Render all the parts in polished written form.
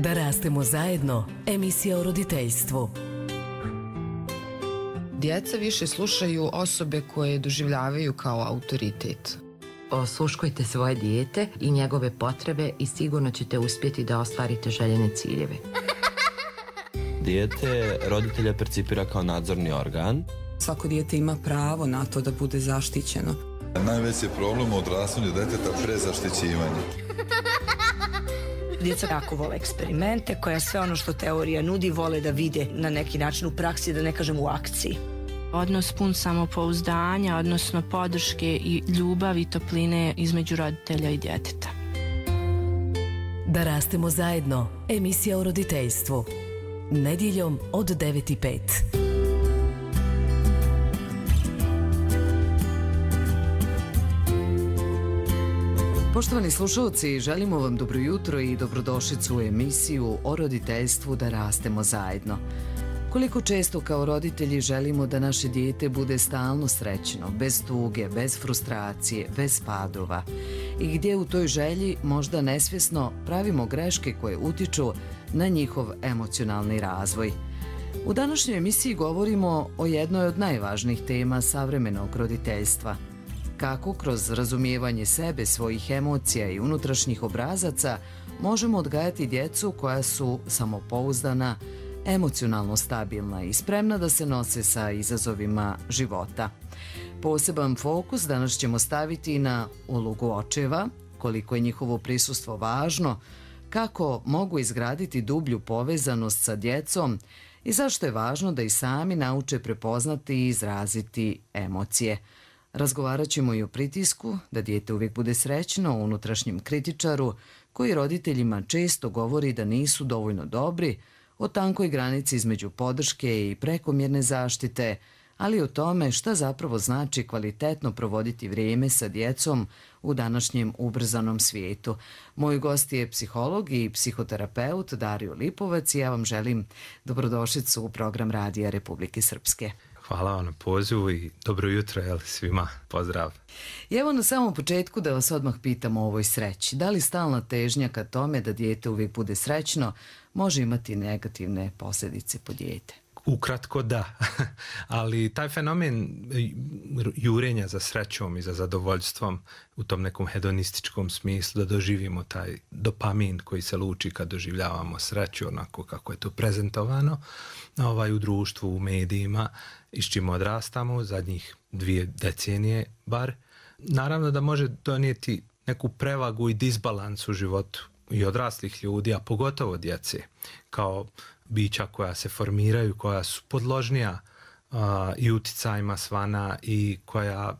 Da rastemo zajedno, emisija o roditeljstvu. Djeca više slušaju osobe koje doživljavaju kao autoritet. Osluškujte svoje dijete i njegove potrebe i sigurno ćete uspjeti da ostvarite željene ciljeve. Dijete roditelja percipira kao nadzorni organ. Svako dijete ima pravo na to da bude zaštićeno. Najveći je problem u odrastanju djeteta prezaštićivanje. Djeca jako vole eksperimente, koja sve ono što teorija nudi vole da vide na neki način u praksi, da ne kažem u akciji. Odnos pun samopouzdanja, odnosno podrške i ljubavi i topline između roditelja i djeteta. Da rastemo zajedno, emisija o roditeljstvu. Nedjeljom od 9:05. Poštovani slušalci, želimo vam dobro jutro i dobrodošlicu u emisiju o roditeljstvu Da rastemo zajedno. Koliko često kao roditelji želimo da naše dijete bude stalno srećno, bez tuge, bez frustracije, bez padova i gdje u toj želji možda nesvjesno pravimo greške koje utiču na njihov emocionalni razvoj. U današnjoj emisiji govorimo o jednoj od najvažnijih tema savremenog roditeljstva. Kako kroz razumijevanje sebe, svojih emocija i unutrašnjih obrazaca možemo odgajati djecu koja su samopouzdana, emocionalno stabilna i spremna da se nose sa izazovima života. Poseban fokus danas ćemo staviti na ulogu očeva, koliko je njihovo prisustvo važno, kako mogu izgraditi dublju povezanost sa djecom i zašto je važno da i sami nauče prepoznati i izraziti emocije. Razgovarat ćemo i o pritisku, da dijete uvijek bude srećno, o unutrašnjem kritičaru, koji roditeljima često govori da nisu dovoljno dobri, o tankoj granici između podrške i prekomjerne zaštite, ali i o tome šta zapravo znači kvalitetno provoditi vrijeme sa djecom u današnjem ubrzanom svijetu. Moj gost je psiholog i psihoterapeut Dario Lipovac i ja vam želim dobrodošlicu u program Radija Republike Srpske. Hvala vam na pozivu i dobro jutro svima. Pozdrav. I evo na samom početku da vas odmah pitam o ovoj sreći. Da li stalna težnja ka tome da dijete uvijek bude srećno može imati negativne posljedice po dijete? Ukratko da, ali taj fenomen jurenja za srećom i za zadovoljstvom u tom nekom hedonističkom smislu, da doživimo taj dopamin koji se luči kad doživljavamo sreću onako kako je to prezentovano u društvu, u medijima i s čim odrastamo zadnjih 2 decenije bar, naravno da može donijeti neku prevagu i disbalans u životu i odraslih ljudi, a pogotovo djece, kao bića koja se formiraju, koja su podložnija i uticajima svana i koja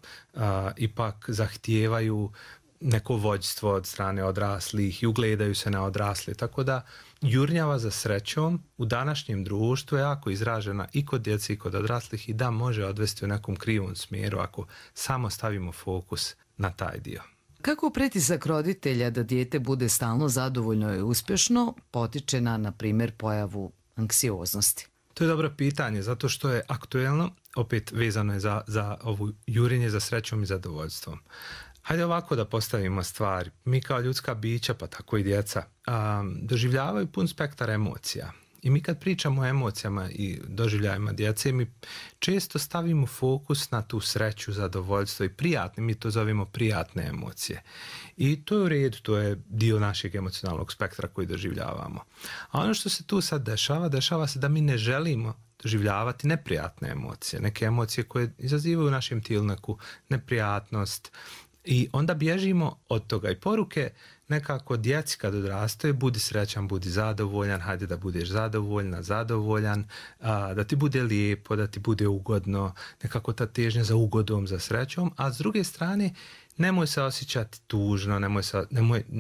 ipak zahtijevaju neko vođstvo od strane odraslih i ugledaju se na odrasle. Tako da jurnjava za srećom u današnjem društvu je jako izražena i kod djece i kod odraslih i da može odvesti u nekom krivom smjeru ako samo stavimo fokus na taj dio. Kako pritisak roditelja da dijete bude stalno zadovoljno i uspješno potiče na primjer, pojavu anksioznosti? To je dobro pitanje, zato što je aktuelno, opet vezano je za ovu jurenje za srećom i zadovoljstvom. Hajde ovako da postavimo stvari. Mi kao ljudska bića, pa tako i djeca, doživljavaju pun spektar emocija. I mi kad pričamo o emocijama i doživljajima djece, mi često stavimo fokus na tu sreću, zadovoljstvo i prijatne, mi to zovemo prijatne emocije. I to je u redu, to je dio našeg emocionalnog spektra koji doživljavamo. A ono što se tu sad dešava se da mi ne želimo doživljavati neprijatne emocije, neke emocije koje izazivaju u našem tijelu neku neprijatnost i onda bježimo od toga i poruke nekako djeci kad odrastaju, budi srećan, budi zadovoljan, hajde da budeš zadovoljna, zadovoljan, da ti bude lijepo, da ti bude ugodno, nekako ta težnja za ugodom, za srećom, a s druge strane nemoj se osjećati tužno,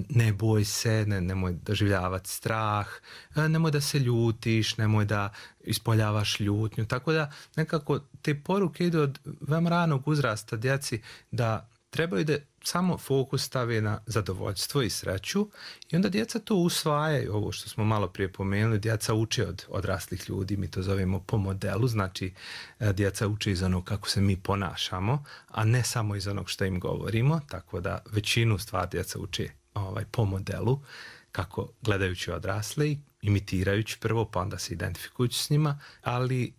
ne boj se, nemoj doživljavati strah, nemoj da se ljutiš, nemoj da ispoljavaš ljutnju, tako da nekako te poruke idu od veoma ranog uzrasta djeci da trebaju da samo fokus stave na zadovoljstvo i sreću i onda djeca to usvajaju, ovo što smo malo prije pomenuli, djeca uče od odraslih ljudi, mi to zovemo po modelu, znači djeca uče iz onog kako se mi ponašamo, a ne samo iz onog što im govorimo, tako da većinu stvari djeca uče po modelu kako gledajući odrasle i imitirajući prvo, pa onda se identifikujući s njima, ali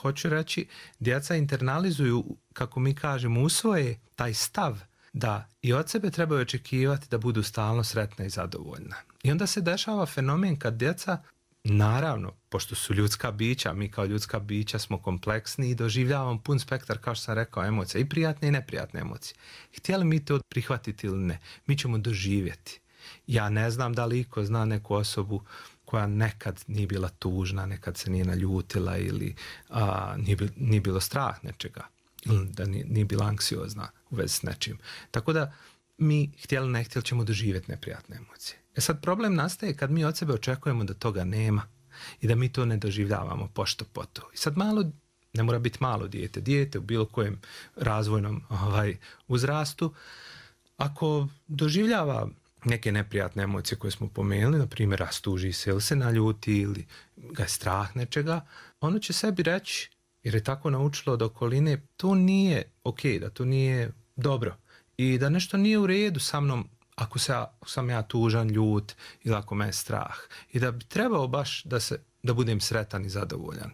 hoću reći, djeca internalizuju, kako mi kažemo, usvoje taj stav da i od sebe trebaju očekivati da budu stalno sretna i zadovoljna. I onda se dešava fenomen kad djeca, naravno, pošto su ljudska bića, mi kao ljudska bića smo kompleksni i doživljavamo pun spektar, kao što sam rekao, emocija, i prijatne i neprijatne emocije. Htjeli mi to prihvatiti ili ne, mi ćemo doživjeti. Ja ne znam da li iko zna neku osobu koja nekad nije bila tužna, nekad se nije naljutila ili nije bilo strah nečega, ili da nije bila anksiozna u vezi s nečim. Tako da mi, htjeli ne htjeli, ćemo doživjeti neprijatne emocije. Sad problem nastaje kad mi od sebe očekujemo da toga nema i da mi to ne doživljavamo pošto poto. I sad malo, ne mora biti malo dijete u bilo kojem razvojnom uzrastu, ako doživljava neke neprijatne emocije koje smo pomenuli, na primjer rastuži se ili se naljuti ili ga je strah nečega, ono će sebi reći, jer je tako naučilo od okoline, to nije okej, da to nije dobro i da nešto nije u redu sa mnom ako sam ja tužan, ljut ili ako me je strah. I da bi trebao baš da budem sretan i zadovoljan.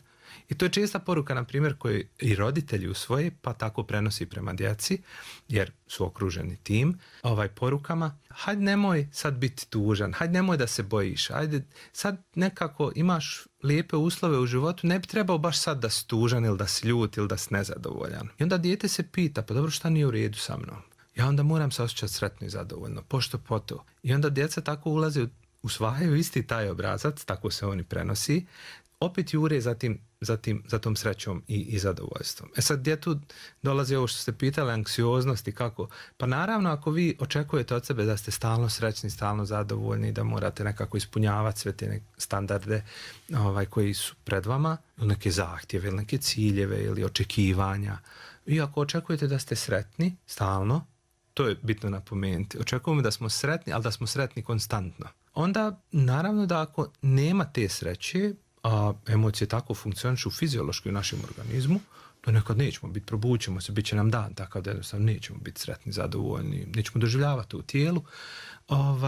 I to je česta poruka, na primjer, koju i roditelji usvoje, pa tako prenosi prema djeci, jer su okruženi tim porukama. Hajde nemoj sad biti tužan, hajde nemoj da se bojiš, hajde sad nekako imaš lijepe uslove u životu, ne bi trebao baš sad da si tužan ili da si ljut ili da si nezadovoljan. I onda dijete se pita, pa dobro, šta nije u redu sa mnom? Ja onda moram se osjećati sretno i zadovoljno, pošto poto. I onda djeca tako ulaze, usvajaju isti taj obrazac, tako se oni prenosi, opet jure za tom srećom i zadovoljstvom. Sad gdje tu dolazi ovo što ste pitali, anksioznost i kako? Pa naravno, ako vi očekujete od sebe da ste stalno srećni, stalno zadovoljni, da morate nekako ispunjavati sve te standarde koji su pred vama, ili neke zahtjeve, ili neke ciljeve, ili očekivanja. I ako očekujete da ste sretni stalno, to je bitno napomenuti. Očekujemo da smo sretni, ali da smo sretni konstantno. Onda, naravno da ako nema te sreće, a emocije tako funkcionišu fiziološki u našem organizmu, da nekad nećemo biti, probućemo se, bit će nam dan takav da jednostavno nećemo biti sretni, zadovoljni, nećemo doživljavati u tijelu.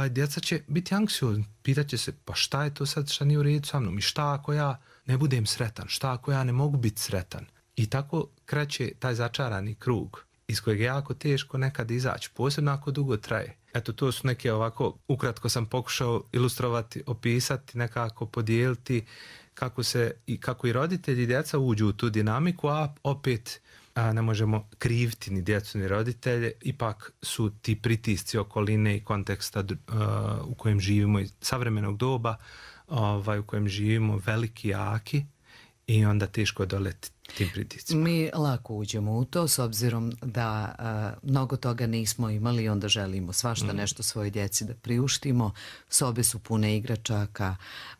Djeca će biti anksiozni, pitat će se, pa šta je to sad, šta nije u redu sa mnom i šta ako ja ne budem sretan, šta ako ja ne mogu biti sretan. I tako kreće taj začarani krug iz kojeg je jako teško nekad izaći, posebno ako dugo traje. Eto, to su neke ovako, ukratko sam pokušao ilustrovati, opisati, nekako podijeliti kako i roditelji i djeca uđu u tu dinamiku, a opet ne možemo kriviti ni djecu ni roditelje, ipak su ti pritisci okoline i konteksta u kojem živimo, i savremenog doba u kojem živimo, veliki, jaki, i onda teško odoleti tim pritiscima. Mi lako uđemo u to s obzirom da mnogo toga nismo imali i onda želimo svašta nešto svoje djeci da priuštimo. Sobe su pune igračaka.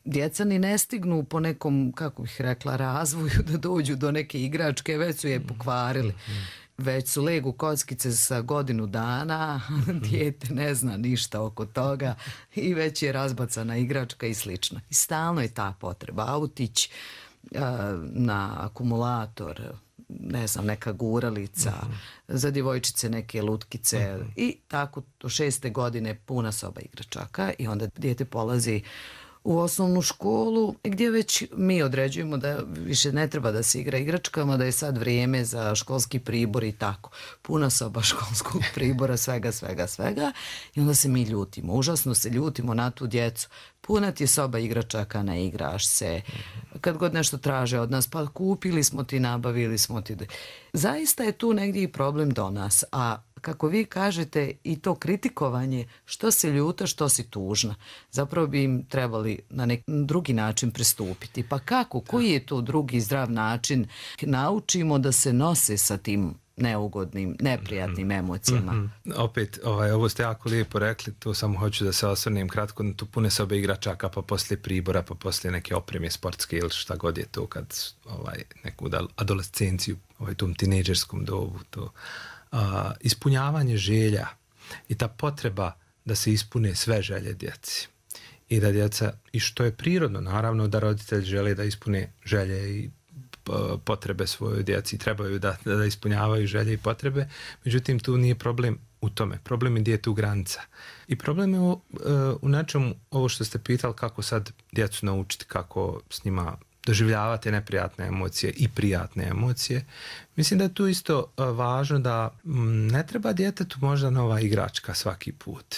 Djeca ni ne stignu po nekom, kako bih rekla, razvoju da dođu do neke igračke, već su je pokvarili. Već su legu kockice sa godinu dana, dijete ne zna ništa oko toga i već je razbacana igračka i slično. I stalno je ta potreba. Autić na akumulator, ne znam, neka guralica, za djevojčice neke lutkice i tako do 6. godine puna soba igračaka i onda dijete polazi u osnovnu školu gdje već mi određujemo da više ne treba da se igra igračkama, da je sad vrijeme za školski pribor i tako. Puna soba školskog pribora, svega i onda se mi ljutimo. Užasno se ljutimo na tu djecu. Puna ti je soba igračaka, ne igraš se. Kad god nešto traže od nas, pa kupili smo ti, nabavili smo ti. Zaista je tu negdje i problem do nas, a kako vi kažete, i to kritikovanje, što si ljuta, što si tužna. Zapravo bi im trebali na neki drugi način pristupiti. Pa kako? Koji je to drugi zdrav način? Naučimo da se nose sa tim neugodnim, neprijatnim emocijama. Opet, ovo ste jako lijepo rekli, to samo hoću da se osvrnem kratko na tu pune sobe igračaka, pa poslije pribora, pa poslije neke opreme sportske ili šta god je to kad neku adolescenciju, tom tinejdžerskom dobu, to ispunjavanje želja i ta potreba da se ispune sve želje djeci. I da djeca, i što je prirodno, naravno da roditelji žele da ispune želje i potrebe svojoj djeci, trebaju da ispunjavaju želje i potrebe, međutim tu nije problem u tome. Problem je djetu granica. I problem je u nečemu, ovo što ste pitali, kako sad djecu naučiti, kako s njima doživljavati neprijatne emocije i prijatne emocije. Mislim da je tu isto važno da ne treba djetetu možda nova igračka svaki put.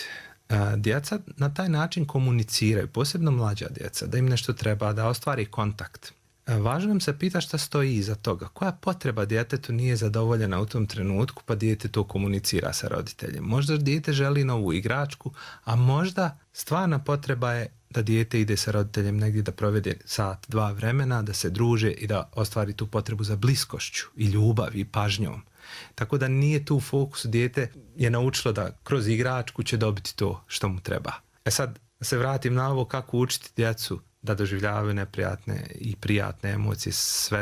Djeca na taj način komuniciraju, posebno mlađa djeca, da im nešto treba, da ostvari kontakt. Važno nam se pita šta stoji iza toga. Koja potreba djetetu nije zadovoljena u tom trenutku, pa dijete to komunicira sa roditeljem. Možda dijete želi novu igračku, a možda stvarna potreba je da dijete ide sa roditeljem negdje da provede sat, dva vremena, da se druže i da ostvari tu potrebu za bliskošću i ljubav i pažnjom. Tako da nije tu fokus, dijete je naučilo da kroz igračku će dobiti to što mu treba. Sad se vratim na ovo kako učiti djecu da doživljavaju neprijatne i prijatne emocije,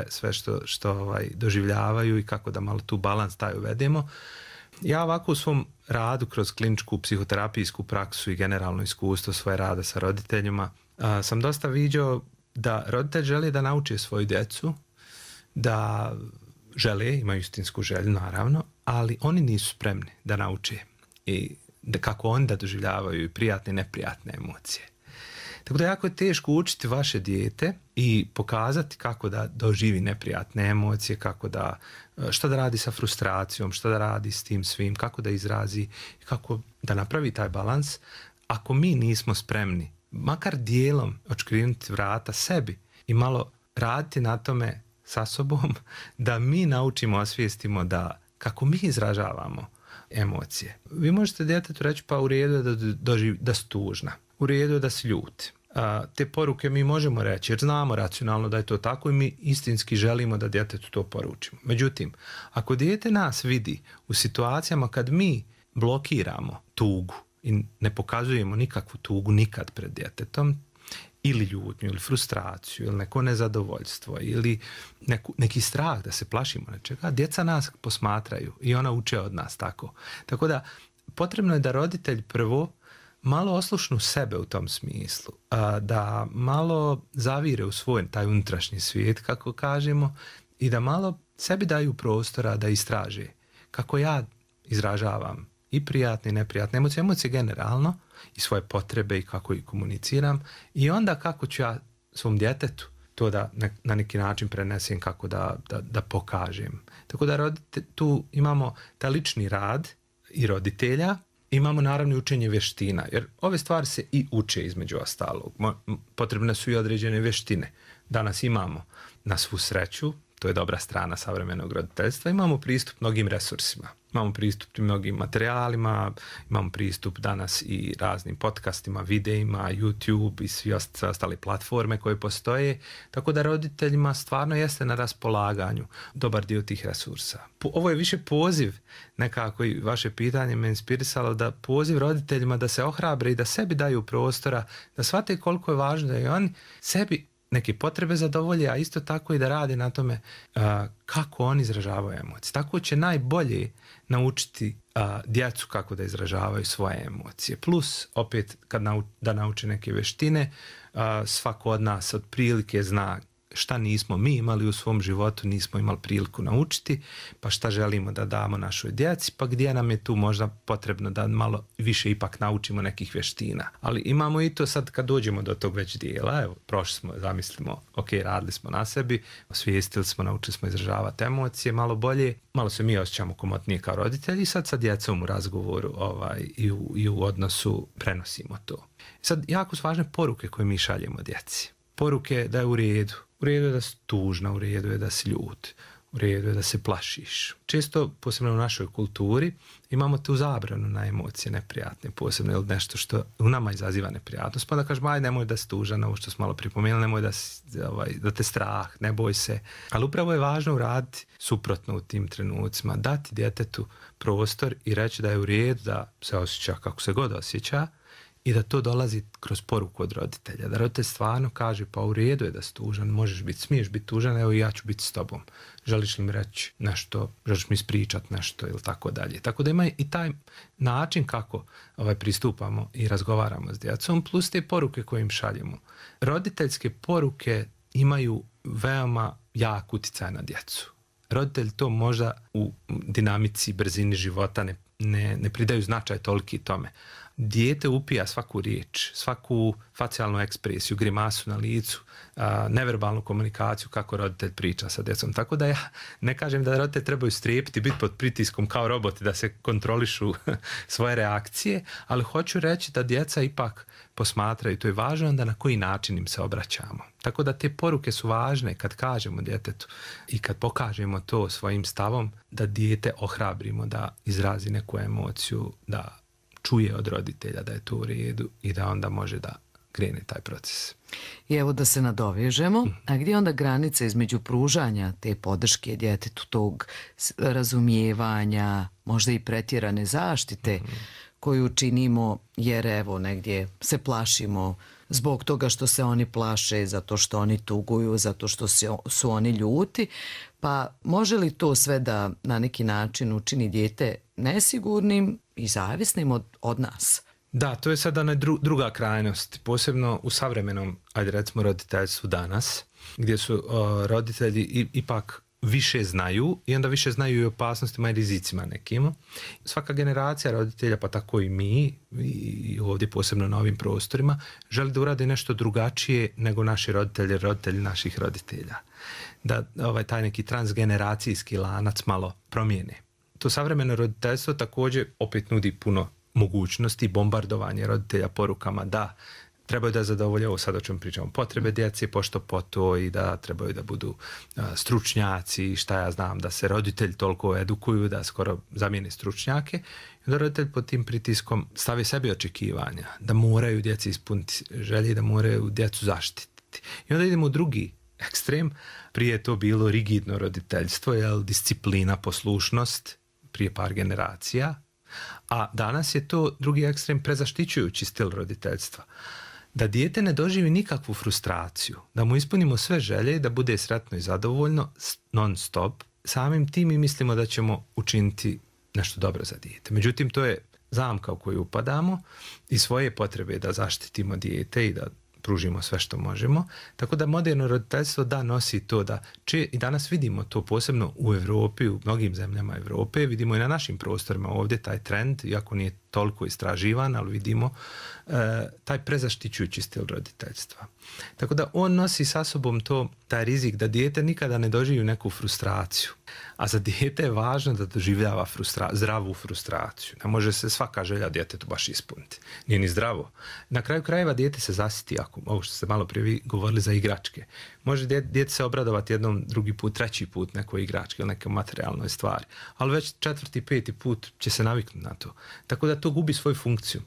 sve što doživljavaju i kako da malo tu balans taj uvedemo. Ja ovako u svom radu kroz kliničku psihoterapijsku praksu i generalno iskustvo svoje rada sa roditeljima sam dosta viđao da roditelj želi da nauči svoju djecu, da žele, imaju istinsku želju naravno, ali oni nisu spremni da nauče i kako oni da doživljavaju i prijatne i neprijatne emocije. Tako da jako je teško učiti vaše dijete i pokazati kako da doživi neprijatne emocije, što da radi sa frustracijom, što da radi s tim svim, kako da izrazi, kako da napravi taj balans. Ako mi nismo spremni, makar dijelom odškrinuti vrata sebi i malo raditi na tome sa sobom, da mi naučimo, osvijestimo da kako mi izražavamo emocije. Vi možete djetetu reći pa u redu je da si tužna, u redu je da si ljut. Te poruke mi možemo reći jer znamo racionalno da je to tako i mi istinski želimo da djetetu to poručimo. Međutim, ako dijete nas vidi u situacijama kad mi blokiramo tugu i ne pokazujemo nikakvu tugu nikad pred djetetom, ili ljutnju, ili frustraciju, ili neko nezadovoljstvo, ili neki strah da se plašimo nečega, djeca nas posmatraju i ona uče od nas tako. Tako da potrebno je da roditelj prvo malo oslušnu sebe u tom smislu, da malo zavire u svoj taj unutrašnji svijet, kako kažemo, i da malo sebi daju prostora da istraže kako ja izražavam i prijatne i neprijatne emocije generalno i svoje potrebe i kako ih komuniciram i onda kako ću ja svom djetetu to da na neki način prenesem, kako da pokažem. Tako da tu imamo taj lični rad i roditelja, imamo naravno učenje vještina, jer ove stvari se i uče između ostalog. Potrebne su i određene vještine. Danas imamo na svu sreću, to je dobra strana savremenog roditeljstva, imamo pristup mnogim resursima. Imamo pristup mnogim materijalima, imamo pristup danas i raznim podcastima, videima, YouTube i sve ostale platforme koje postoje, tako da roditeljima stvarno jeste na raspolaganju dobar dio tih resursa. Ovo je više poziv, nekako i vaše pitanje me inspirisalo, da poziv roditeljima da se ohrabre i da sebi daju prostora, da shvate koliko je važno da i oni sebi neke potrebe zadovolje, a isto tako i da rade na tome kako oni izražavaju emocije. Tako će najbolje naučiti djecu kako da izražavaju svoje emocije. Plus, opet, da nauče neke vještine, svako od nas otprilike zna šta nismo mi imali u svom životu, nismo imali priliku naučiti, pa šta želimo da damo našoj djeci, pa gdje nam je tu možda potrebno da malo više ipak naučimo nekih vještina. Ali imamo i to sad kad dođemo do tog već dijela, evo, prošli smo, zamislimo, ok, radili smo na sebi, osvijestili smo, naučili smo izražavati emocije malo bolje, malo se mi osjećamo komotnije kao roditelji i sad sa djecom u razgovoru i u odnosu prenosimo to. Sad, jako su važne poruke koje mi šaljemo djeci. Poruke da je u redu. U redu je da si tužna, u redu je da si ljut, u redu je da se plašiš. Često, posebno u našoj kulturi, imamo tu zabranu na emocije neprijatne, posebno ili nešto što u nama izaziva neprijatnost. Pa da kažemo, aj nemoj da si tužan, ovo što smo malo pripomenuli, nemoj da te strah, ne boj se. Ali upravo je važno uraditi suprotno u tim trenucima, dati djetetu prostor i reći da je u redu da se osjeća kako se god osjeća, i da to dolazi kroz poruku od roditelja. Da roditelj stvarno kaže, pa u redu je da si tužan, možeš biti, smiješ biti tužan, evo i ja ću biti s tobom. Želiš li mi reći nešto, želiš mi ispričati nešto ili tako dalje. Tako da ima i taj način kako pristupamo i razgovaramo s djecom, plus te poruke koje im šaljemo. Roditeljske poruke imaju veoma jak utjecaj na djecu. Roditelji to možda u dinamici, brzini života ne pridaju značaj toliki tome. Dijete upija svaku riječ, svaku facijalnu ekspresiju, grimasu na licu, neverbalnu komunikaciju kako roditelj priča sa djecom. Tako da ja ne kažem da roditelji trebaju strepiti, biti pod pritiskom kao roboti da se kontrolišu svoje reakcije, ali hoću reći da djeca ipak posmatraju, to je važno onda na koji način im se obraćamo. Tako da te poruke su važne kad kažemo djetetu i kad pokažemo to svojim stavom, da dijete ohrabrimo da izrazi neku emociju, da čuje od roditelja da je to u redu i da onda može da krene taj proces. I evo da se nadovežemo, a gdje onda granica između pružanja te podrške djetetu, tog razumijevanja, možda i pretjerane zaštite koju činimo jer evo negdje se plašimo zbog toga što se oni plaše, zato što oni tuguju, zato što su oni ljuti, pa može li to sve da na neki način učini dijete nesigurnim i zavisnim od nas? Da, to je sada druga krajnost, posebno u savremenom, ajde recimo, roditeljstvu danas, gdje su roditelji ipak više znaju i onda više znaju i opasnostima i rizicima nekima. Svaka generacija roditelja, pa tako i mi, i ovdje posebno na ovim prostorima, želi da uradi nešto drugačije nego naši roditelji, roditelji naših roditelja. Da taj neki transgeneracijski lanac malo promijene. To savremeno roditeljstvo također opet nudi puno mogućnosti, bombardovanje roditelja porukama da trebaju da zadovolje, ovo sad o čemu pričamo, potrebe djece, pošto po to, i da trebaju da budu stručnjaci, šta ja znam, da se roditelji toliko edukuju da skoro zamijene stručnjake. I onda roditelj pod tim pritiskom stavi sebi očekivanja, da moraju djeci ispuniti želje, da moraju djecu zaštititi. I onda idemo u drugi ekstrem, prije je to bilo rigidno roditeljstvo, disciplina, poslušnost, prije par generacija, a danas je to drugi ekstrem, prezaštićujući stil roditeljstva. Da dijete ne doživi nikakvu frustraciju, da mu ispunimo sve želje, da bude sretno i zadovoljno non stop, samim tim mi mislimo da ćemo učiniti nešto dobro za dijete. Međutim, to je zamka u koju upadamo i svoje potrebe da zaštitimo dijete i da pružimo sve što možemo. Tako da moderno roditeljstvo da nosi to da i danas vidimo to posebno u Europi, u mnogim zemljama Europe, vidimo i na našim prostorima ovdje taj trend, iako nije toliko istraživan, ali vidimo taj prezaštićujući stil roditeljstva. Tako da on nosi sa sobom taj rizik da dijete nikada ne doživi neku frustraciju. A za dijete je važno da doživljava zdravu frustraciju. Ne može se svaka želja djetetu baš ispuniti. Nije ni zdravo. Na kraju krajeva dijete se zasiti, ako ovo što ste malo prije govorili za igračke. Može dijete se obradovati jednom, drugi put, treći put nekoj igračke ili nekoj materijalnoj stvari. Ali već 4., 5. put će se naviknuti na to. Tako da to gubi svoju funkciju.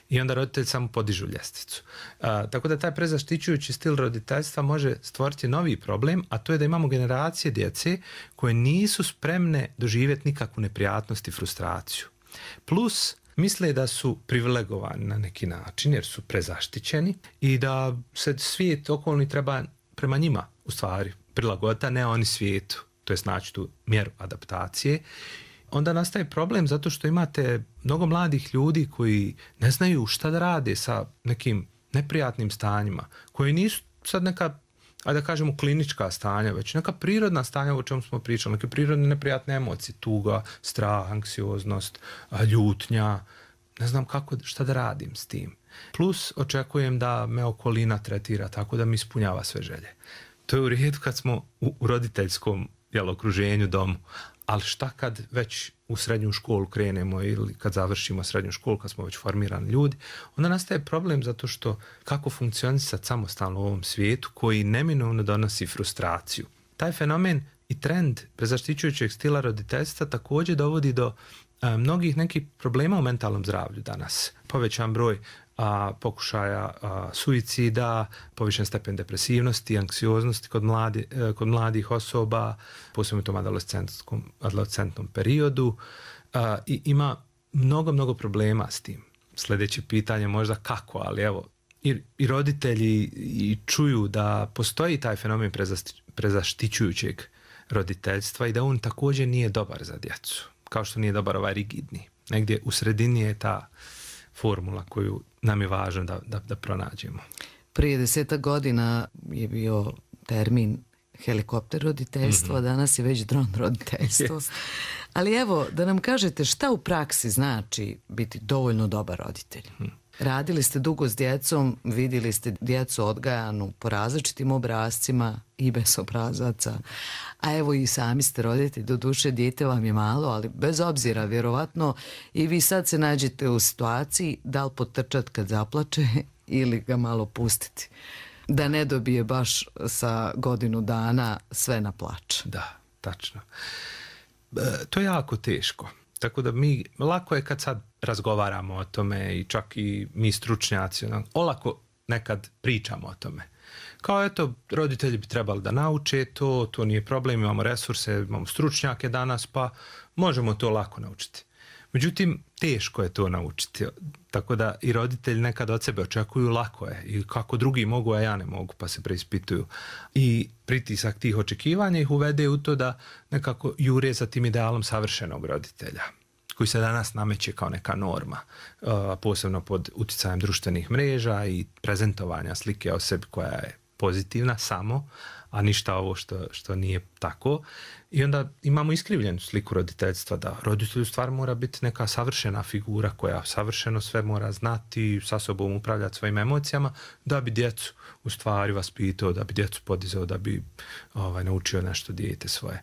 I onda roditelji samo podižu ljestvicu. Tako da taj prezaštićujući stil roditeljstva može stvoriti novi problem, a to je da imamo generacije djece koje nisu spremne doživjeti nikakvu neprijatnost i frustraciju. Plus, misle da su privilegovani na neki način jer su prezaštićeni i da se svijet okolni treba prema njima u stvari prilagoditi, a ne oni svijetu. To je znači tu mjeru adaptacije. Onda nastaje problem zato što imate mnogo mladih ljudi koji ne znaju šta da rade sa nekim neprijatnim stanjima, koji nisu sad neka, ajde da kažemo, klinička stanja, već neka prirodna stanja o čemu smo pričali, neke prirodne neprijatne emocije, tuga, strah, anksioznost, ljutnja, ne znam šta da radim s tim. Plus očekujem da me okolina tretira tako da mi ispunjava sve želje. To je u redu kad smo u roditeljskom okruženju, domu. Ali šta kad već u srednju školu krenemo ili kad završimo srednju školu, kad smo već formirani ljudi, onda nastaje problem zato što kako funkcionisati samostalno u ovom svijetu koji neminovno donosi frustraciju. Taj fenomen i trend prezaštićujućeg stila roditeljstva također dovodi do mnogih nekih problema u mentalnom zdravlju danas. Povećan broj pokušaja suicida, povišen stepen depresivnosti, anksioznosti kod mladih osoba, posebno u tom adolescentnom periodu. I ima mnogo problema s tim. Sljedeće pitanje možda kako, ali evo, i roditelji i čuju da postoji taj fenomen prezaštićujućeg roditeljstva i da on također nije dobar za djecu, kao što nije dobar ovaj rigidni. Negdje u sredini je ta formula koju nam je važno da pronađemo. Prije 10 godina je bio termin helikopter roditeljstvo, a danas je već dron roditeljstvo. Ali evo, da nam kažete šta u praksi znači biti dovoljno dobar roditelj. Radili ste dugo s djecom, vidjeli ste djecu odgajanu po različitim obrascima i bez obrazaca, a evo i sami ste roditelj, doduše dijete vam je malo, ali bez obzira, vjerovatno i vi sad se nađete u situaciji da li potrčat kad zaplače ili ga malo pustiti, da ne dobije baš sa godinu dana sve na plač. Da, tačno. To je jako teško. Tako da lako je kad sad razgovaramo o tome i čak i mi stručnjaci, olako nekad pričamo o tome. Kao eto, roditelji bi trebali da nauče to nije problem, imamo resurse, imamo stručnjake danas, pa možemo to lako naučiti. Međutim, teško je to naučiti, tako da i roditelji nekad od sebe očekuju lako je i kako drugi mogu, a ja ne mogu, pa se preispituju. I pritisak tih očekivanja ih uvede u to da nekako jure za tim idealom savršenog roditelja, koji se danas nameće kao neka norma, posebno pod utjecajem društvenih mreža i prezentovanja slike o sebi koja je pozitivna samo, a ništa ovo što nije tako. I onda imamo iskrivljenu sliku roditeljstva, da roditelj u stvari mora biti neka savršena figura koja savršeno sve mora znati, sa sobom upravljati svojim emocijama, da bi djecu u stvari vaspitao, da bi djecu podizao, da bi naučio nešto dijete svoje.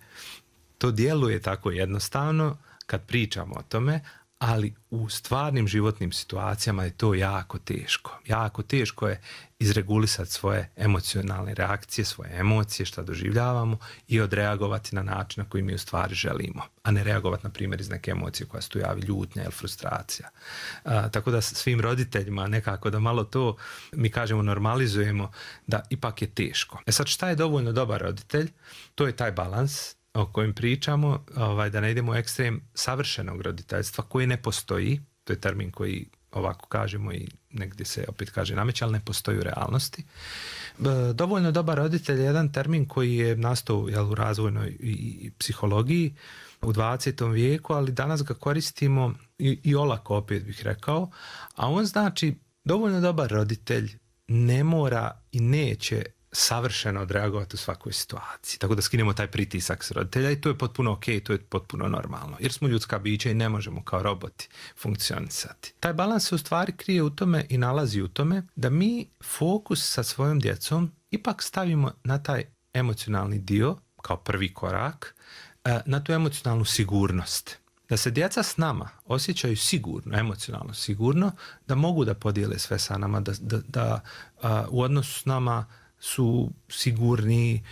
To djeluje tako jednostavno kad pričamo o tome, ali u stvarnim životnim situacijama je to jako teško. Jako teško je izregulisati svoje emocionalne reakcije, svoje emocije, šta doživljavamo i odreagovati na način na koji mi u stvari želimo, a ne reagovati na primjer iz neke emocije koja se tu javi, ljutnja ili frustracija. Tako da svim roditeljima nekako da malo to, mi kažemo, normalizujemo, da ipak je teško. Sad šta je dovoljno dobar roditelj? To je taj balans o kojem pričamo, da ne idemo u ekstrem savršenog roditeljstva koji ne postoji, to je termin koji ovako kažemo i negdje se opet kaže nameće, ali ne postoji u realnosti. Dovoljno dobar roditelj je jedan termin koji je nastao u razvojnoj i psihologiji u 20. vijeku, ali danas ga koristimo i olako, opet bih rekao, a on znači dovoljno dobar roditelj ne mora i neće savršeno odreagovati u svakoj situaciji. Tako da skinemo taj pritisak s roditelja i to je potpuno ok, to je potpuno normalno. Jer smo ljudska bića i ne možemo kao roboti funkcionisati. Taj balans se u stvari krije u tome i nalazi u tome da mi fokus sa svojom djecom ipak stavimo na taj emocionalni dio kao prvi korak, na tu emocionalnu sigurnost. Da se djeca s nama osjećaju sigurno, emocionalno sigurno, da mogu da podijele sve sa nama, da u odnosu s nama su sigurni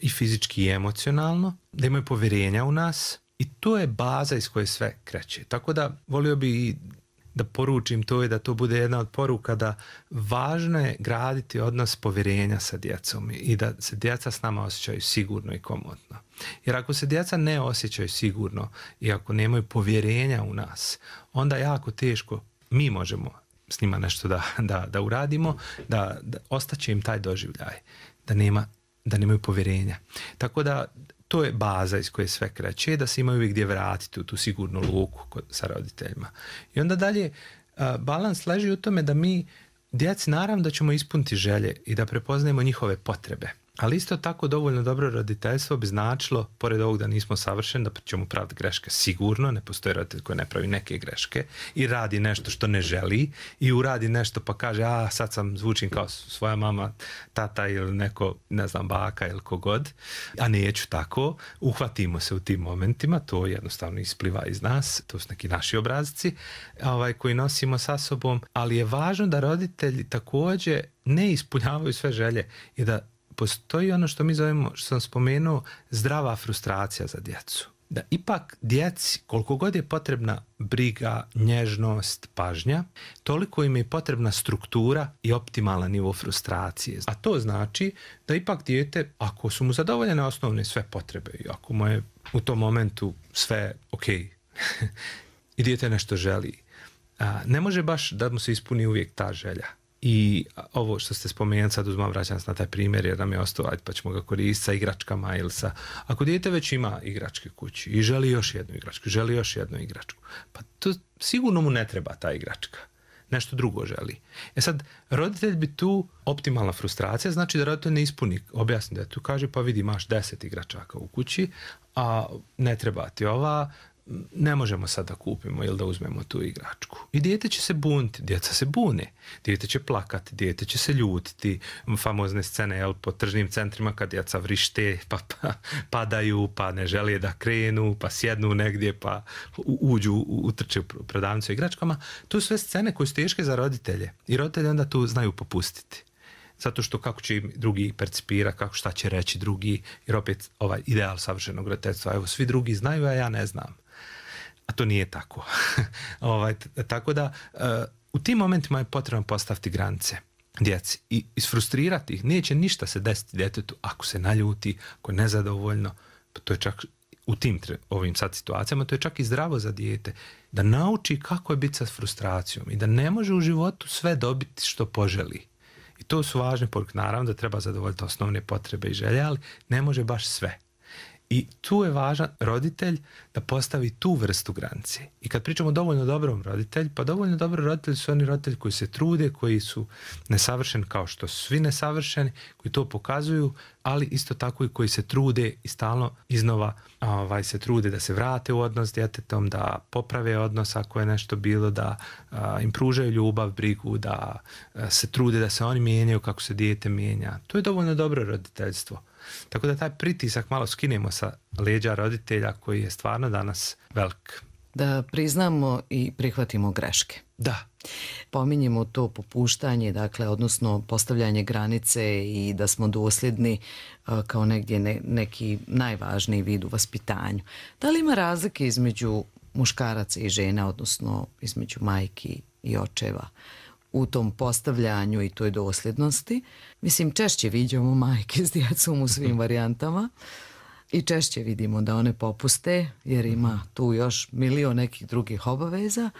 i fizički i emocionalno, da imaju povjerenja u nas i to je baza iz koje sve kreće. Tako da volio bi da poručim to i da to bude jedna od poruka da važno je graditi odnos povjerenja sa djecom i da se djeca s nama osjećaju sigurno i komodno. Jer ako se djeca ne osjećaju sigurno i ako nemaju povjerenja u nas, onda jako teško mi možemo s njima nešto da uradimo, da ostaće im taj doživljaj, da nemaju povjerenja. Tako da to je baza iz koje sve kreće, da se imaju uvijek gdje vratiti u tu sigurnu luku sa roditeljima. I onda dalje, balans leži u tome da mi djeci naravno da ćemo ispuniti želje i da prepoznajemo njihove potrebe. Ali isto tako dovoljno dobro roditeljstvo bi značilo, pored ovog da nismo savršeni, da ćemo praviti greške sigurno, ne postoji roditelj koji ne pravi neke greške i radi nešto što ne želi i uradi nešto pa kaže sad zvučim kao svoja mama, tata ili neko, ne znam, baka ili kogod, a neću tako. Uhvatimo se u tim momentima, to jednostavno ispliva iz nas, to su neki naši obrazci koji nosimo sa sobom, ali je važno da roditelji također ne ispunjavaju sve želje i da postoji ono što mi zovemo, što sam spomenuo, zdrava frustracija za djecu. Da ipak djeci, koliko god je potrebna briga, nježnost, pažnja, toliko im je potrebna struktura i optimalan nivo frustracije. A to znači da ipak dijete, ako su mu zadovoljene osnovne sve potrebe i ako mu je u tom momentu sve ok i dijete nešto želi, ne može baš da mu se ispuni uvijek ta želja. I ovo što ste spomenuli, sad vraćam se na taj primjer jer nam je ostao, pa ćemo ga koristiti sa igračkama ili sa... Ako dijete već ima igračke kući i želi još jednu igračku, pa to sigurno mu ne treba ta igračka. nešto drugo želi. Sad, roditelj bi tu optimalna frustracija, znači da roditelj ne ispuni, objasni da tu kaže pa vidi imaš 10 igračaka u kući, a ne treba ti ova, ne možemo sad da kupimo ili da uzmemo tu igračku. I dijete će se buniti, djeca se bune, dijete će plakati, dijete će se ljutiti, famozne scene po tržnim centrima kad djeca vrište, pa padaju, pa ne žele da krenu, pa sjednu negdje, pa utrče u prodavnicu igračkama. To su sve scene koje su teške za roditelje i roditelji onda tu znaju popustiti. Zato što kako će im drugi percipira, kako šta će reći drugi, jer opet ovaj ideal savršenog roditeljstva, evo svi drugi znaju, a ja ne znam. A to nije tako. Tako da u tim momentima je potrebno postaviti granice djeci i isfrustrirati ih. Neće ništa se desiti djetetu ako se naljuti, ako je nezadovoljno. Pa to je čak u tim ovim sad situacijama, to je čak i zdravo za dijete. Da nauči kako je biti sa frustracijom i da ne može u životu sve dobiti što poželi. I to su važne poruke. Naravno da treba zadovoljiti osnovne potrebe i želje, ali ne može baš sve. I tu je važan roditelj da postavi tu vrstu granice. I kad pričamo o dovoljno dobrom roditelju, pa dovoljno dobro roditelji su oni roditelji koji se trude, koji su nesavršeni kao što su svi nesavršeni, koji to pokazuju, ali isto tako i koji se trude i stalno iznova se trude da se vrate u odnos s djetetom, da poprave odnos ako je nešto bilo, da im pružaju ljubav, brigu, da se trude da se oni mijenjaju kako se dijete mijenja. To je dovoljno dobro roditeljstvo. Tako da taj pritisak malo skinemo sa leđa roditelja koji je stvarno danas velik. Da priznamo i prihvatimo greške. Da. Pominjemo to popuštanje, dakle, odnosno postavljanje granice i da smo dosljedni kao negdje neki najvažniji vid u vaspitanju. Da li ima razlike između muškaraca i žena, odnosno između majki i očeva u tom postavljanju i toj dosljednosti? Mislim, češće viđamo majke s djecom u svim varijantama i češće vidimo da one popuste jer ima tu još milion nekih drugih obaveza,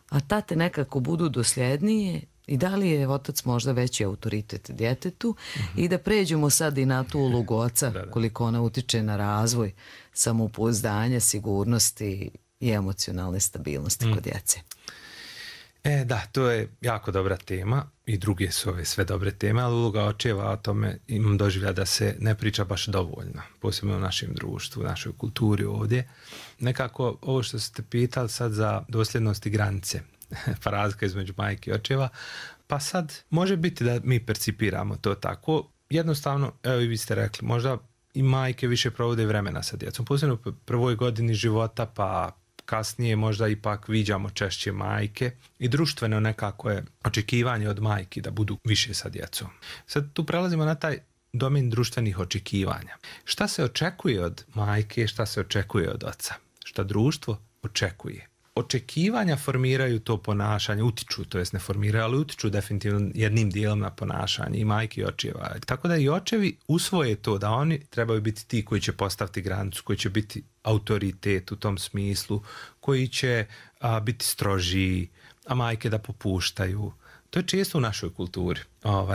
a tate nekako budu dosljednije. I da li je otac možda veći autoritet djetetu i da pređemo sad i na tu ulogu oca, koliko ona utiče na razvoj samopouzdanja, sigurnosti i emocionalne stabilnosti kod djece. Da, to je jako dobra tema i druge su ove sve dobre teme, ali uloga očeva o tome imam doživlja da se ne priča baš dovoljno, posebno u našem društvu, u našoj kulturi ovdje. Nekako ovo što ste pitali sad za dosljednost i granice, pa razlika između majke i očeva, pa sad može biti da mi percipiramo to tako. Jednostavno, evo i vi ste rekli, možda i majke više provode vremena sa djecom, posebno u prvoj godini života, pa kasnije možda ipak viđamo češće majke i društveno nekako je očekivanje od majki da budu više sa djecom. Sad tu prelazimo na taj domen društvenih očekivanja. Šta se očekuje od majke, šta se očekuje od oca? Šta društvo očekuje? Očekivanja formiraju to ponašanje, utiču, to jest ne formiraju, ali utiču definitivno jednim dijelom na ponašanje i majke i očeva. Tako da i očevi usvoje to da oni trebaju biti ti koji će postaviti granicu, koji će biti autoritet u tom smislu, koji će biti strožiji, a majke da popuštaju. To je često u našoj kulturi,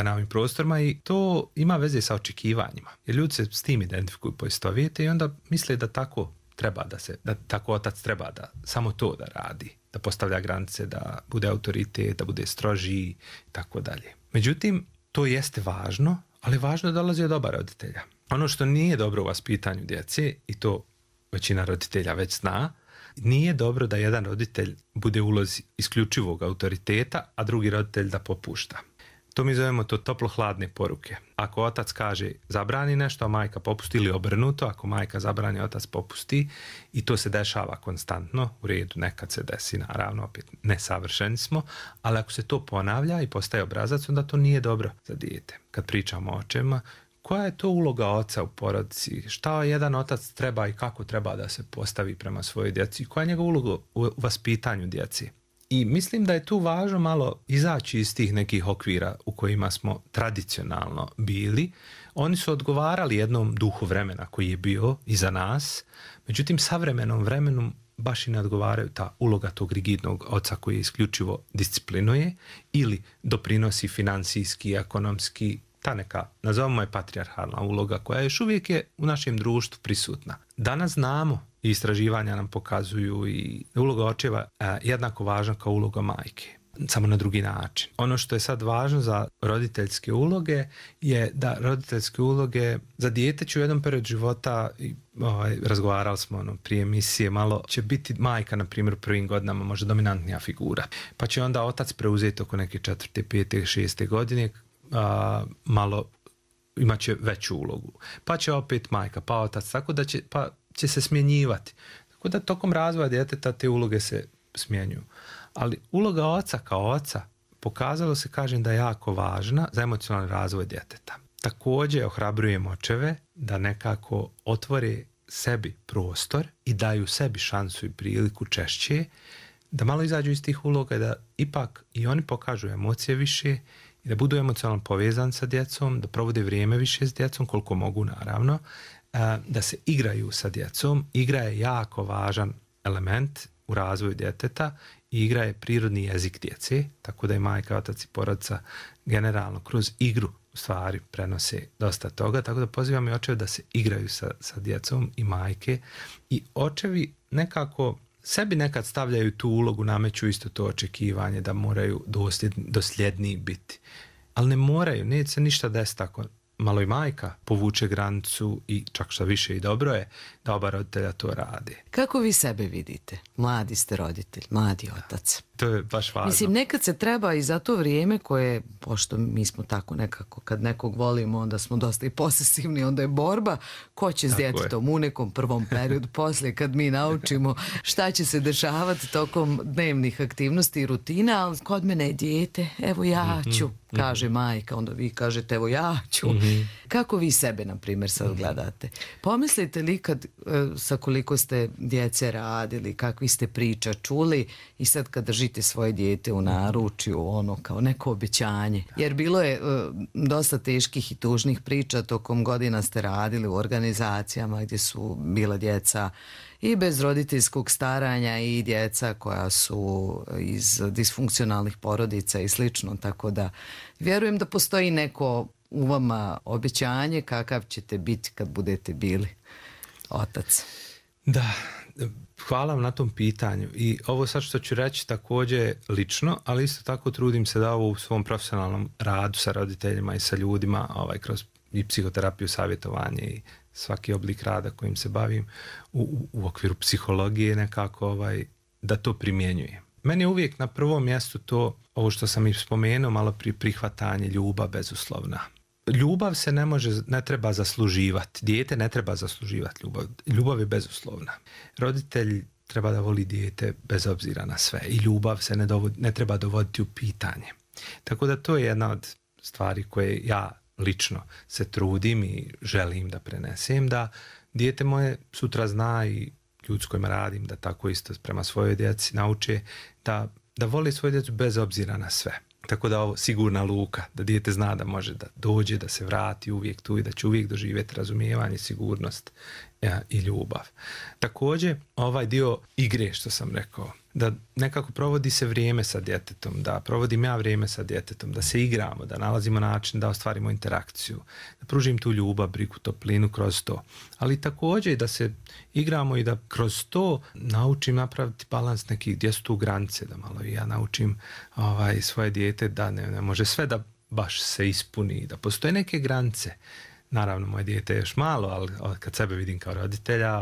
na ovim prostorima i to ima veze sa očekivanjima. Jer ljudi se s tim identifikuju, poistovijete i onda misle da tako treba da tako otac treba da samo to da radi, da postavlja granice, da bude autoritet, da bude strožiji i tako dalje. Međutim, to jeste važno, ali važno je da dolazi od oba roditelja. Ono što nije dobro u vaspitanju djece, i to većina roditelja već zna, nije dobro da jedan roditelj bude u ulozi isključivog autoriteta, a drugi roditelj da popušta. To mi zovemo to toplo-hladne poruke. Ako otac kaže zabrani nešto, a majka popusti, ili obrnuto, ako majka zabrani, otac popusti, i to se dešava konstantno, u redu, nekad se desi, naravno, opet nesavršeni smo, ali ako se to ponavlja i postaje obrazac, onda to nije dobro za dijete. Kad pričamo o očevima, koja je to uloga oca u porodici? Šta jedan otac treba i kako treba da se postavi prema svojoj djeci? Koja je njegova uloga u vaspitanju djeci? I mislim da je tu važno malo izaći iz tih nekih okvira u kojima smo tradicionalno bili. Oni su odgovarali jednom duhu vremena koji je bio iza nas, međutim savremenom vremenu baš i ne odgovaraju ta uloga tog rigidnog oca koji isključivo disciplinuje ili doprinosi financijski, ekonomski, ta neka, nazovimo je patrijarhalna uloga koja još uvijek je u našem društvu prisutna. Danas znamo i istraživanja nam pokazuju i uloga očeva jednako važna kao uloga majke. samo na drugi način. Ono što je sad važno za roditeljske uloge je da roditeljske uloge za dijete će u jednom periodu života, razgovarali smo prije emisije, malo će biti majka, na primjer, u prvim godinama možda dominantnija figura. Pa će onda otac preuzeti oko neke 4., 5., 6. godine, malo imat će veću ulogu. Pa će opet majka, pa otac, tako da će se smjenjivati. Tako da tokom razvoja djeteta te uloge se smjenjuju. Ali uloga oca kao oca pokazalo se, kažem, da je jako važna za emocionalni razvoj djeteta. Također ohrabrujem očeve da nekako otvore sebi prostor i daju sebi šansu i priliku češće, da malo izađu iz tih uloga, da ipak i oni pokažu emocije više i da budu emocionalno povezani sa djecom, da provode vrijeme više s djecom, koliko mogu naravno, da se igraju sa djecom. Igra je jako važan element u razvoju djeteta i igra je prirodni jezik djece, tako da i majka, otac i porodica generalno kroz igru u stvari prenose dosta toga, tako da pozivam i očeve da se igraju sa djecom i majke. I očevi nekako sebi nekad stavljaju tu ulogu, nameću isto to očekivanje da moraju dosljedniji biti. Ali ne moraju, neće se ništa desiti tako. Malo i majka povuče granicu i čak što više i dobro je da oba roditelja to rade. Kako vi sebe vidite? Mladi ste roditelj, mladi otac. To je baš važno. Mislim, nekad se treba i za to vrijeme koje, pošto mi smo tako nekako, kad nekog volimo, onda smo dosta i posesivni, onda je borba ko će s djetetom u nekom prvom periodu, poslije kad mi naučimo šta će se dešavati tokom dnevnih aktivnosti i rutina, ali kod mene je dijete, evo ja ću, kaže majka, onda vi kažete evo ja ću. Kako vi sebe, na primjer, sad gledate? Pomislite li kad sa koliko ste djece radili, kakvi ste priča čuli i sad kad držite svoje dijete u naručju, ono kao neko obećanje? Jer bilo je dosta teških i tužnih priča, tokom godina ste radili u organizacijama gdje su bila djeca i bez roditeljskog staranja i djeca koja su iz disfunkcionalnih porodica i slično, tako da vjerujem da postoji neko u vama obećanje kakav ćete biti kad budete bili otac. Da, hvala vam na tom pitanju i ovo sad što ću reći također lično, ali isto tako trudim se da ovo u svom profesionalnom radu sa roditeljima i sa ljudima kroz i psihoterapiju, savjetovanje i svaki oblik rada kojim se bavim u okviru psihologije nekako da to primjenjujem. Meni je uvijek na prvom mjestu to, ovo što sam i spomenuo malo prije, prihvatanje, ljubav bezuslovna. Ljubav se ne treba zasluživati. Dijete ne treba zasluživati ljubav. Ljubav je bezuslovna. Roditelj treba da voli dijete bez obzira na sve i ljubav se ne treba dovoditi u pitanje. Tako da to je jedna od stvari koje ja lično se trudim i želim da prenesem, da dijete moje sutra zna i ljudi s kojima radim da tako isto prema svojoj djeci nauče da voli svoju djecu bez obzira na sve. Tako da ovo sigurna luka, da dijete zna da može da dođe, da se vrati uvijek tu i da će uvijek doživjeti razumijevanje, sigurnost i ljubav. Također ovaj dio igre što sam rekao, da nekako provodi se vrijeme sa djetetom, da provodim ja vrijeme sa djetetom, da se igramo, da nalazimo način da ostvarimo interakciju, da pružim tu ljubav, brigu, toplinu kroz to. Ali također i da se igramo i da kroz to naučim napraviti balans nekih, gdje su tu granice, da malo i ja naučim svoje dijete da ne može sve da baš se ispuni, da postoje neke granice. Naravno, moje dijete je još malo, ali kad sebe vidim kao roditelja,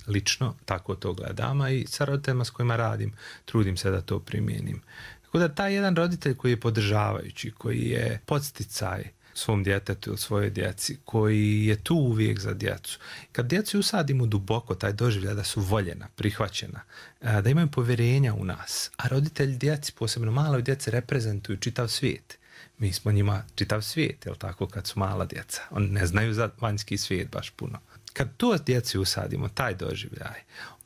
lično tako to gledam, a i sa roditeljima s kojima radim, trudim se da to primijenim. Tako da taj jedan roditelj koji je podržavajući, koji je podsticaj svom djetetu ili svojoj djeci, koji je tu uvijek za djecu. Kad djecu usadimo duboko, taj doživljaj da su voljena, prihvaćena, da imaju povjerenja u nas, a roditelji djeci, posebno maloj djeci, reprezentuju čitav svijet. Mi smo njima čitav svijet, jel tako, kad su mala djeca. Oni ne znaju za vanjski svijet baš puno. Kad to djeci usadimo, taj doživljaj,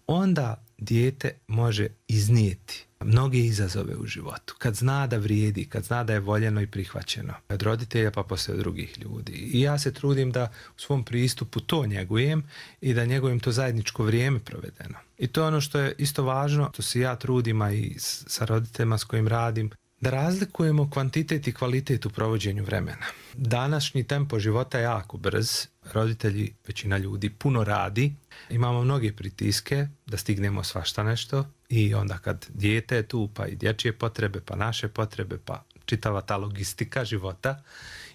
onda dijete može iznijeti mnoge izazove u životu. Kad zna da vrijedi, kad zna da je voljeno i prihvaćeno. Od roditelja pa poslije od drugih ljudi. I ja se trudim da u svom pristupu to njegujem i da njegujem to zajedničko vrijeme provedeno. I to je ono što je isto važno, to se ja trudim, a i sa roditeljima s kojim radim, da razlikujemo kvantitet i kvalitet u provođenju vremena. Današnji tempo života je jako brz, roditelji, većina ljudi, puno radi, imamo mnoge pritiske da stignemo svašta nešto i onda kad dijete je tu, pa i dječje potrebe, pa naše potrebe, pa čitava ta logistika života,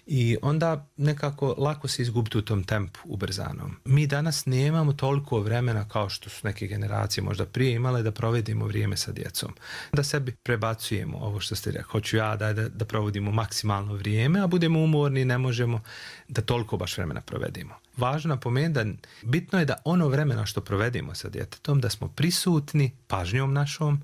i onda nekako lako se izgubiti u tom tempu ubrzanom. Mi danas nemamo toliko vremena kao što su neke generacije možda prije imale da provedimo vrijeme sa djecom. Da sebi prebacujemo ovo što ste rekli, hoću ja da provodimo maksimalno vrijeme, a budemo umorni, ne možemo da toliko baš vremena provedimo. Važno napomenuti da bitno je da ono vremena što provedimo sa djetetom, da smo prisutni pažnjom našom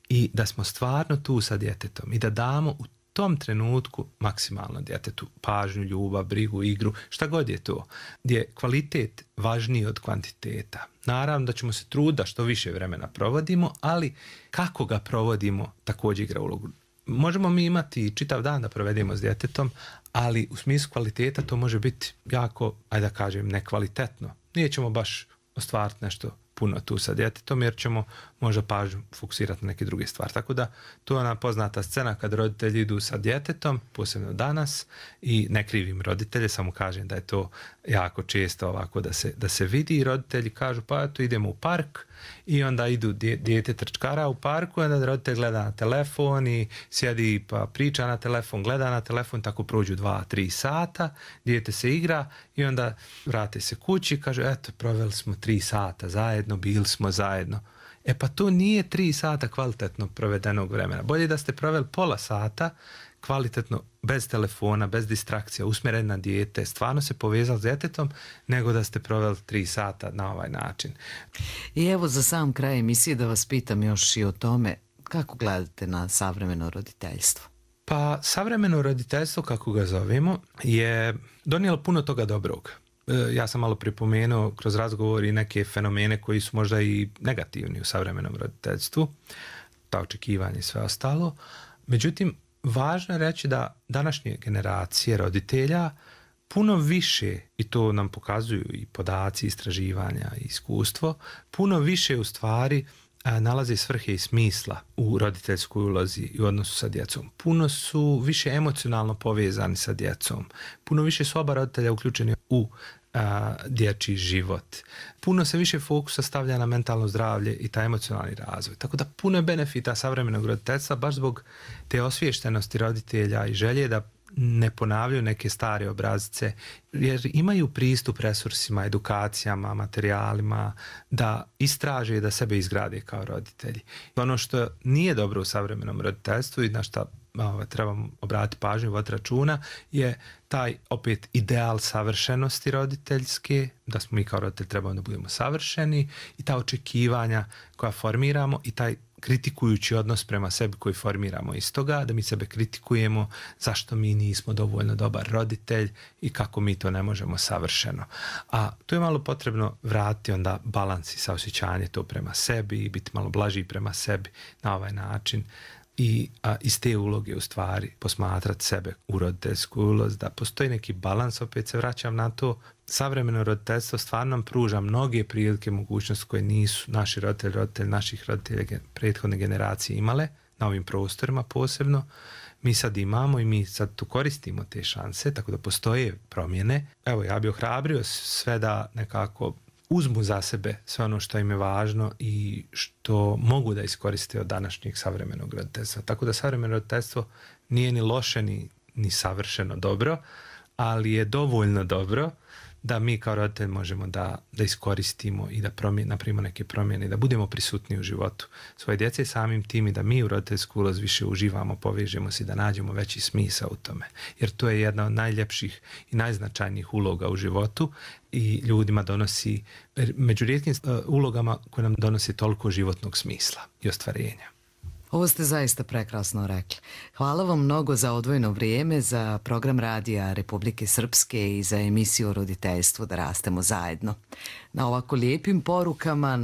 i da smo stvarno tu sa djetetom i da damo u tom trenutku maksimalno djetetu pažnju, ljubav, brigu, igru, šta god je to, gdje je kvalitet važniji od kvantiteta. Naravno da ćemo se truditi da što više vremena provodimo, ali kako ga provodimo također igra ulogu. Možemo mi imati čitav dan da provedemo s djetetom, ali u smislu kvaliteta to može biti jako, ajde da kažem, nekvalitetno. Nije ćemo baš ostvariti nešto puno tu sa djetetom, jer ćemo možda pažnju fokusirati na neke druge stvari. Tako da to je ona poznata scena kad roditelji idu sa djetetom, posebno danas, i ne krivim roditelje, samo kažem da je to jako često ovako da se vidi, i roditelji kažu pa eto idemo u park, i onda idu dijete trčkara u parku, i onda roditelj gleda na telefon i sjedi pa priča na telefon, gleda na telefon, tako prođu 2-3 sata, dijete se igra i onda vrate se kući i kaže eto proveli smo 3 sata zajedno, bili smo zajedno. E pa to nije 3 sata kvalitetno provedenog vremena. Bolje da ste proveli pola sata kvalitetno, bez telefona, bez distrakcija, usmjeren na dijete, stvarno se povezali s djetetom, nego da ste proveli 3 sata na ovaj način. I evo za sam kraj emisije da vas pitam još i o tome kako gledate na savremeno roditeljstvo. Pa savremeno roditeljstvo, kako ga zovemo, je donijelo puno toga dobrog. Ja sam malo pripomenuo kroz razgovor i neke fenomene koji su možda i negativni u savremenom roditeljstvu, ta očekivanja i sve ostalo. Međutim, važno je reći da današnje generacije roditelja puno više, i to nam pokazuju i podaci, istraživanja i iskustvo, puno više u stvari nalaze svrhe i smisla u roditeljskoj ulozi i u odnosu sa djecom. Puno su više emocionalno povezani sa djecom. Puno više su oba roditelja uključeni u dječji život. Puno se više fokusa stavlja na mentalno zdravlje i taj emocionalni razvoj. Tako da puno je benefita savremenog roditeljstva baš zbog te osviještenosti roditelja i želje da ne ponavljaju neke stare obrazice, jer imaju pristup resursima, edukacijama, materijalima, da istraže i da sebe izgrade kao roditelji. Ono što nije dobro u savremenom roditeljstvu i na što trebamo obratiti pažnju, voditi računa, je taj opet ideal savršenosti roditeljske, da smo mi kao roditelji trebamo da budemo savršeni, i ta očekivanja koja formiramo i taj kritikujući odnos prema sebi koji formiramo iz toga, da mi sebe kritikujemo zašto mi nismo dovoljno dobar roditelj i kako mi to ne možemo savršeno. A tu je malo potrebno vratiti onda balans i saosjećanje to prema sebi i biti malo blažiji prema sebi na ovaj način. I iz te uloge u stvari posmatrati sebe u roditeljsku ulozi, da postoji neki balans, opet se vraćam na to. Savremeno roditeljstvo stvarno nam pruža mnoge prilike, mogućnosti koje nisu naši roditelji naših roditelja prethodne generacije imale na ovim prostorima posebno. Mi sad imamo i mi sad tu koristimo te šanse, tako da postoje promjene. Evo, ja bih ohrabrio sve da nekako uzmu za sebe sve ono što im je važno i što mogu da iskoriste od današnjeg savremenog roditeljstva. Tako da savremeno roditeljstvo nije ni loše ni savršeno dobro, ali je dovoljno dobro da mi kao roditelj možemo da iskoristimo i da napravimo neke promjene i da budemo prisutni u životu svoje djece i samim tim i da mi u roditeljsku ulozi više uživamo, povežemo se i da nađemo veći smisao u tome. Jer to je jedna od najljepših i najznačajnijih uloga u životu i ljudima donosi, među rijetkim ulogama koje nam donosi toliko životnog smisla i ostvarenja. Ovo ste zaista prekrasno rekli. Hvala vam mnogo za odvojeno vrijeme, za program Radija Republike Srpske i za emisiju o roditeljstvu Da rastemo zajedno. Na ovako lijepim porukama,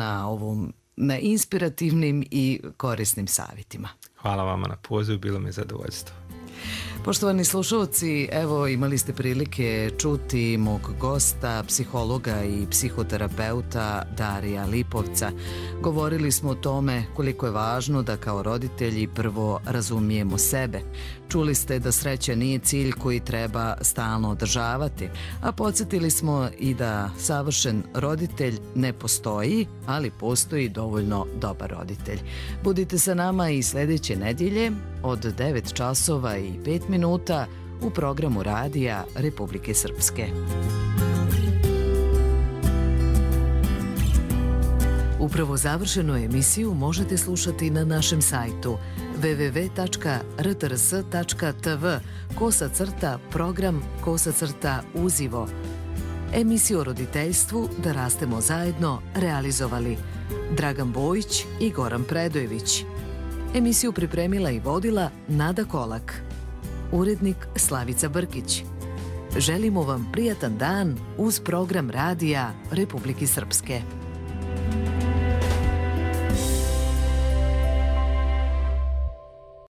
na inspirativnim i korisnim savjetima. Hvala vama na pozivu, bilo mi je zadovoljstvo. Poštovani slušalci, evo imali ste prilike čuti mog gosta, psihologa i psihoterapeuta Darija Lipovca. Govorili smo o tome koliko je važno da kao roditelji prvo razumijemo sebe. Čuli ste da sreća nije cilj koji treba stalno održavati, a podsjetili smo i da savršen roditelj ne postoji, ali postoji dovoljno dobar roditelj. Budite sa nama i sljedeće nedjelje od 9 časova i 5 minuta u programu Radija Republike Srpske. Upravo završenu emisiju možete slušati na našem sajtu www.rtrs.tv/program/uzivo. Emisiju o roditeljstvu Da rastemo zajedno realizovali Dragan Bojić i Goran Predojević. Emisiju pripremila i vodila Nada Kolak. Urednik Slavica Brkić. Želimo vam prijatan dan uz program Radija Republike Srpske.